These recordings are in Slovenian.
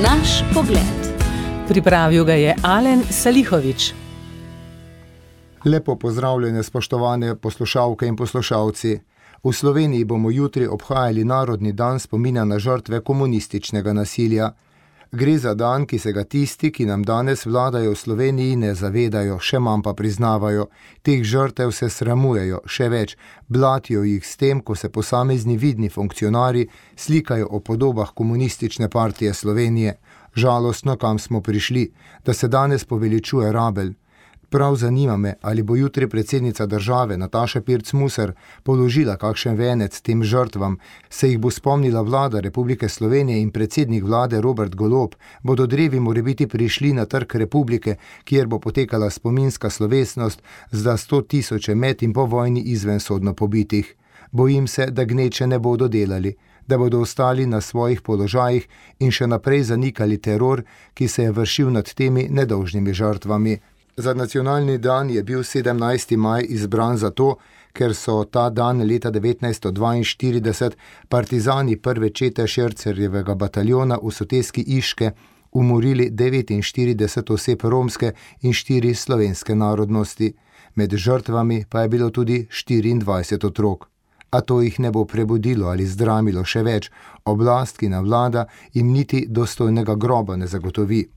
Naš pogled. Pripravil ga je Alen Salihović. Lepo pozdravljene, spoštovane poslušalke in poslušalci. V Sloveniji bomo jutri obhajali Narodni dan spomina na žrtve komunističnega nasilja. Gre za dan, ki se ga tisti, ki nam danes vladajo v Sloveniji, ne zavedajo, še manj pa priznavajo. Teh žrtev se sramujejo, še več, blatijo jih s tem, ko se posamezni vidni funkcionarji slikajo o podobah komunistične partije Slovenije. Žalostno, kam smo prišli, da se danes poveličuje rabelj. Prav zanima me, ali bo jutri predsednica države Nataša Pirc Musar položila kakšen venec tem žrtvam, se jih bo spomnila vlada Republike Slovenije in predsednik vlade Robert Golob, bodo drevi morebiti prišli na Trg Republike, kjer bo potekala spominska slovesnost za 100 000 med in po vojni izvensodno pobitih. Bojim se, da gneče ne bodo delali, da bodo ostali na svojih položajih in še naprej zanikali teror, ki se je vršil nad temi nedolžnimi žrtvami. Za nacionalni dan je bil 17. maj izbran zato, ker so ta dan leta 1942 partizani prve čete Šercerjevega bataljona v soteski Iške umorili 49 oseb romske in 4 slovenske narodnosti. Med žrtvami pa je bilo tudi 24 otrok. A to jih ne bo prebudilo ali zdramilo še več, oblast, ki navlada, jim niti dostojnega groba ne zagotovi.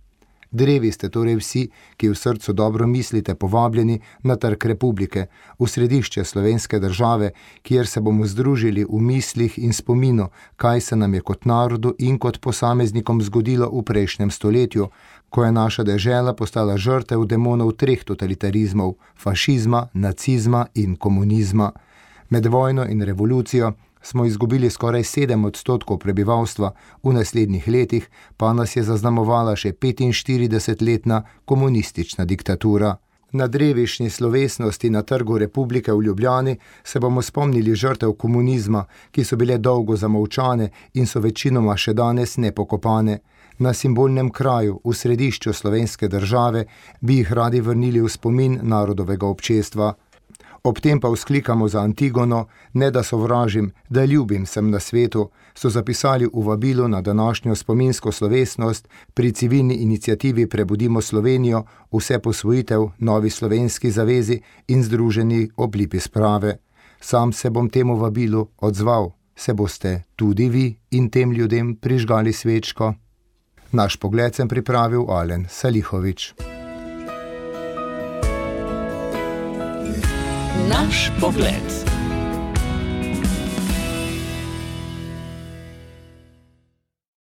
Drevi ste torej vsi, ki v srcu dobro mislite, povabljeni na Trg Republike, v središče slovenske države, kjer se bomo združili v mislih in spominu, kaj se nam je kot narodu in kot posameznikom zgodilo v prejšnjem stoletju, ko je naša dežela postala žrtev demonov 3 totalitarizmov, fašizma, nacizma in komunizma. Med vojno in revolucijo smo izgubili skoraj 7% prebivalstva, v naslednjih letih pa nas je zaznamovala še 45-letna komunistična diktatura. Na drevišnji slovesnosti na Trgu Republike v Ljubljani se bomo spomnili žrtev komunizma, ki so bile dolgo zamolčane in so večinoma še danes nepokopane. Na simbolnem kraju, v središču slovenske države, bi jih radi vrnili v spomin narodovega občestva. Ob tem pa vzklikamo za Antigono, ne da sovražim, da ljubim sem na svetu, so zapisali v vabilu na današnjo spominsko slovesnost pri civilni iniciativi Prebudimo Slovenijo, vse posvojitev, Novi slovenski zavezi in združeni oblipi sprave. Sam se bom temu vabilu odzval. Se boste tudi vi in tem ljudem prižgali svečko? Naš pogled sem pripravil Alen Salihović. Naš pogled.